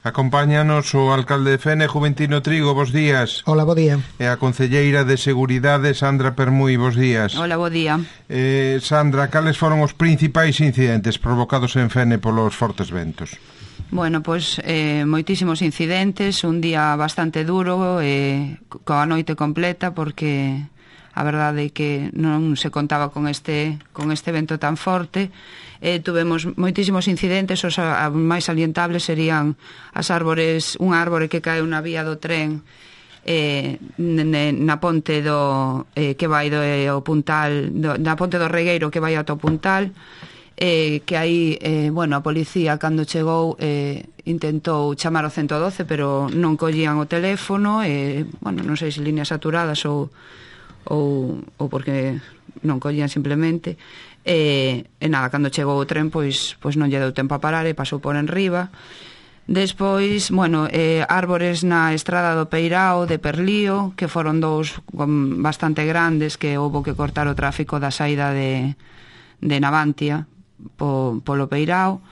Acompáñanos o alcalde de Fene, Juventino Trigo, bos días. Hola, bo día. E a concelleira de Seguridade, Sandra Permui, bos días. Hola, bo día. Sandra, cales foron os principais incidentes provocados en Fene polos fortes ventos? Bueno, pois moitísimos incidentes, un día bastante duro, coa noite completa, porque a verdade é que non se contaba con este vento tan forte. Tuvemos moitísimos incidentes, os máis salientables serían as árbores, unha árbore que caeu na vía do tren na ponte que vai ao Puntal, na ponte do Regueiro que vai ata o Puntal, que aí, a policía cando chegou intentou chamar o 112, pero non collían o teléfono, non sei se líneas saturadas ou porque non collían simplemente, e nada, cando chegou o tren pois non lle deu tempo a parar e pasou por enriba. Despois, árbores na estrada do Peirao, de Perlío, que foron dous bastante grandes, que houbo que cortar o tráfico da saída de Navantia polo Peirao.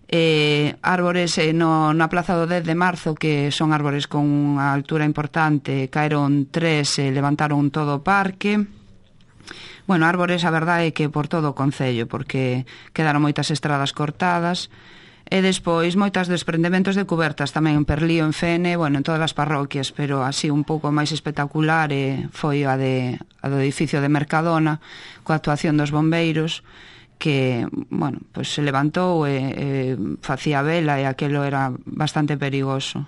Árbores na plaza do 10 de marzo, que son árbores con unha altura importante, caeron 3 e levantaron todo o parque. Árbores, a verdade é que por todo o concello, porque quedaron moitas estradas cortadas. E despois moitas desprendementos de cubertas tamén en Perlío, en Fene, en todas as parroquias, pero así un pouco máis espectacular foi a do edificio de Mercadona, coa actuación dos bombeiros, que, se levantou e facía vela e aquilo era bastante perigoso.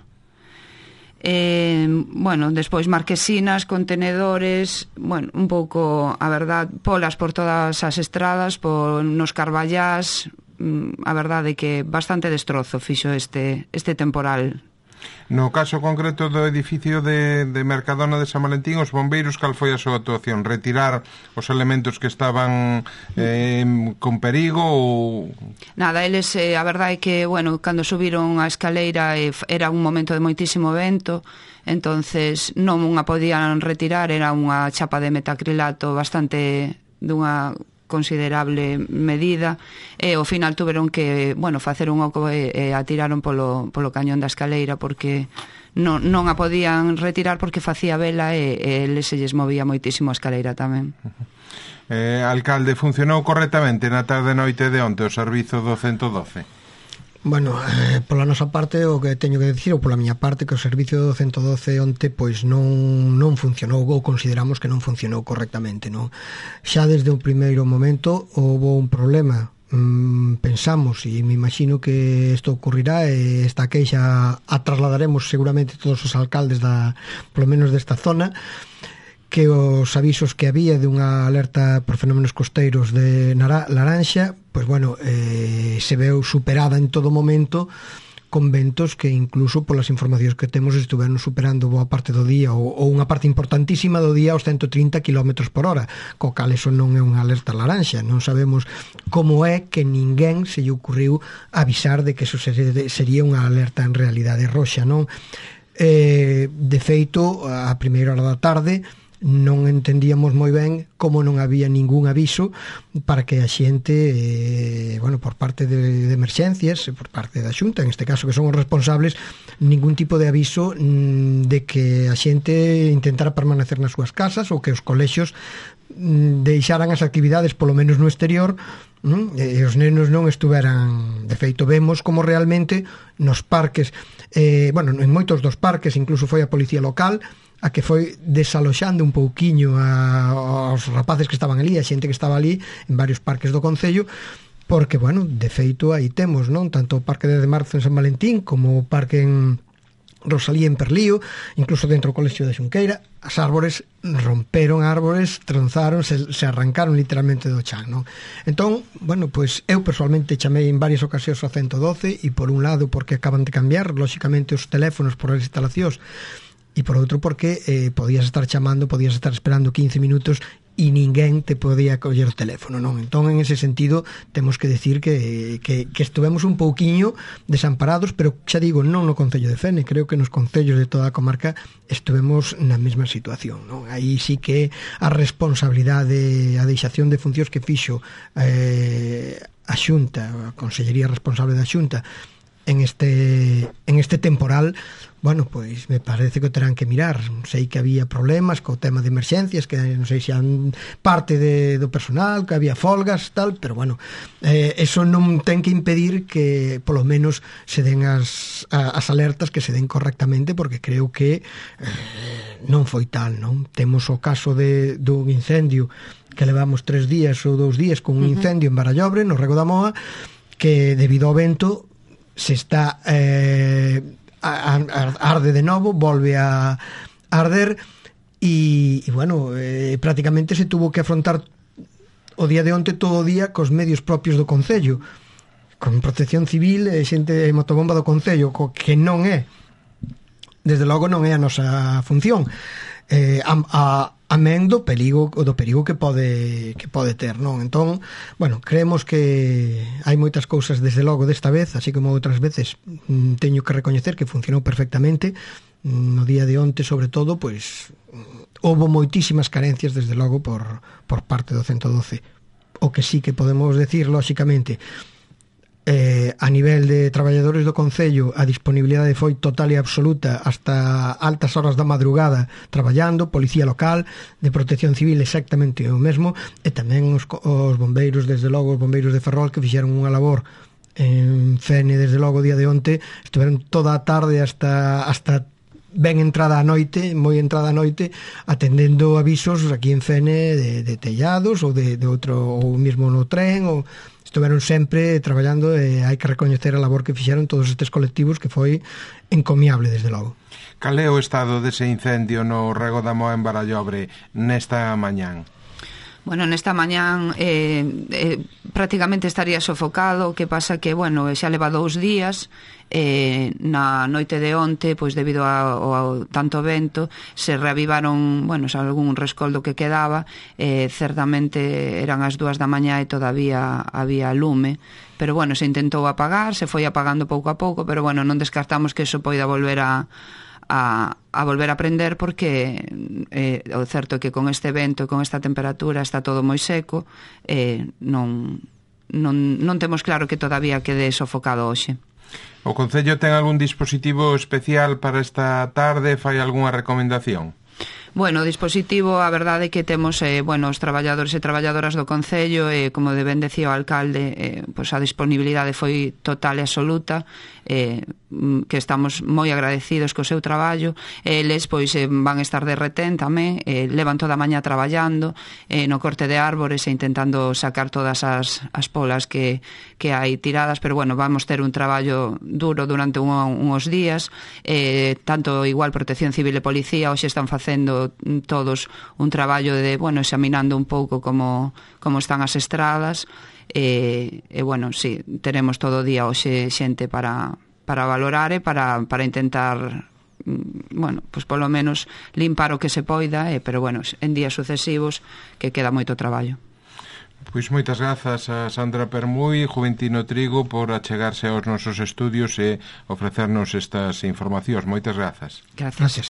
Despois marquesinas, contenedores, un pouco, a verdad, polas por todas as estradas, nos Carballás, a verdade é que bastante destrozo fixo este temporal. No caso concreto do edificio de Mercadona de San Valentín, os bombeiros, cal foi a súa actuación? Retirar os elementos que estaban con perigo ou... Nada, eles, a verdade é que, cando subiron a escaleira era un momento de moitísimo vento, entonces non unha podían retirar, era unha chapa de metacrilato bastante dunha considerable medida, e ao final tuveron que, facer un oco e atiraron polo cañón da escaleira, porque non a podían retirar porque facía vela e eles se lles movía moitísimo a escaleira tamén. Alcalde, funcionou correctamente na tarde noite de onte o servizo do 112? Pola nosa parte, o que teño que dicir, ou pola miña parte, que o servicio do 112 onte pois non funcionou, ou consideramos que non funcionou correctamente, non? Xa desde o primeiro momento houve un problema, pensamos, e me imagino que isto ocurrirá, e esta queixa a trasladaremos seguramente todos os alcaldes polo menos desta zona, que os avisos que había de unha alerta por fenómenos costeiros de laranxa, se veu superada en todo momento con ventos que incluso polas informacións que temos estuveron superando boa parte do día ou unha parte importantísima do día aos 130 km por hora, co cal eso non é unha alerta laranxa. Non sabemos como é que ninguén se lle ocurriu avisar de que eso sería unha alerta en realidade roxa, non? De feito, a primeira hora da tarde non entendíamos moi ben como non había ningún aviso para que a xente, por parte de emerxencias, por parte da Xunta, en este caso que son os responsables, ningún tipo de aviso de que a xente intentara permanecer nas súas casas ou que os colexios deixaran as actividades polo menos no exterior, e os nenos non estuveran. De feito, vemos como realmente nos parques, en moitos dos parques, incluso foi a policía local a que foi desaloxando un pouquiño aos rapaces que estaban ali, a xente que estaba ali en varios parques do concello, porque, de feito, aí temos, non? Tanto o Parque de Marzo en San Valentín como o Parque en Rosalía en Perlío, incluso dentro do Colexio de Xunqueira, as árbores romperon árbores, tronzaron, se arrancaron literalmente do chan, non? Entón, eu personalmente chamei en varias ocasións ao 112, e por un lado porque acaban de cambiar, lóxicamente, os teléfonos por as instalacións, e por outro porque podías estar chamando, podías estar esperando 15 minutos e ninguén te podía coller o teléfono, non? Entón, en ese sentido, temos que decir que estuvemos un pouquiño desamparados, pero xa digo, non no Concello de Fene, creo que nos concellos de toda a comarca estuvemos na mesma situación, non? Aí sí que a responsabilidade, a deixación de funcións que fixo a Xunta, a Consellería responsable da Xunta, en este temporal, bueno, pois me parece que o terán que mirar. Sei que había problemas co tema de emerxencias, que non sei se han parte do personal, que había folgas, tal, pero bueno, eso non ten que impedir que polo menos se den as alertas, que se den correctamente, porque creo que non foi tal, non? Temos o caso dun incendio que levamos 3 días ou 2 días con un incendio en Barallobre, no Rego da Moa, que debido ao vento se está arde de novo, volve a arder e bueno, prácticamente se tuvo que afrontar o día de onte todo o día cos medios propios do Concello, con Protección Civil e xente de motobomba do Concello, que non é, desde logo non é a nosa función, amén do perigo que pode ter, non? Entón, bueno, creemos que hai moitas cousas desde logo desta vez, así como outras veces teño que recoñecer que funcionou perfectamente. No día de onte, sobre todo, pois houbo moitísimas carencias desde logo por parte do 112. O que sí que podemos decir, lóxicamente, a nivel de traballadores do Concello, a disponibilidade foi total e absoluta hasta altas horas da madrugada traballando, policía local, de Protección Civil exactamente o mesmo, e tamén os bombeiros, desde logo os bombeiros de Ferrol, que fixeron unha labor en Fene desde logo o día de onte, estiveron toda a tarde hasta ben entrada a noite, moi entrada a noite, atendendo avisos aquí en Fene de tellados ou de outro, ou mesmo no tren, ou estiveron sempre traballando, e hai que recoñecer a labor que fixeron todos estes colectivos, que foi encomiable desde logo. Cal é o estado dese incendio no Rego da Moa en Barallobre nesta mañán? Bueno, nesta mañán prácticamente estaría sofocado. O que pasa que, bueno, xa leva 2 días, na noite de onte, pois debido ao tanto vento, se reavivaron, bueno, algún rescoldo que quedaba, certamente eran as 2 da mañá e todavía había lume, pero bueno, se intentou apagar, se foi apagando pouco a pouco, pero bueno, non descartamos que iso poida volver a volver a prender, porque o certo é que con este vento e con esta temperatura está todo moi seco, non temos claro que todavía quede sofocado hoxe. O Concello ten algún dispositivo especial para esta tarde? Fai algunha recomendación? Bueno, o dispositivo, a verdade é que temos, os traballadores e traballadoras do Concello, como ben decía o alcalde, pois a disponibilidade foi total e absoluta, que estamos moi agradecidos co seu traballo. Eles pois van estar de retén tamén, levan toda a mañá traballando no corte de árbores e intentando sacar todas as polas que hai tiradas, pero bueno, vamos ter un traballo duro durante uns días, tanto igual Protección Civil e Policía hoxe están facendo todos un traballo de, bueno, examinando un pouco como están as estradas, e bueno, sí, teremos todo o día hoxe xente para valorar e para intentar, bueno, pues polo menos limpar o que se poida, pero bueno, en días sucesivos que queda moito traballo. Pois moitas grazas a Sandra Permui, Juventino Trigo, por achegarse aos nosos estudios e ofrecernos estas informacións. Moitas grazas. Gracias.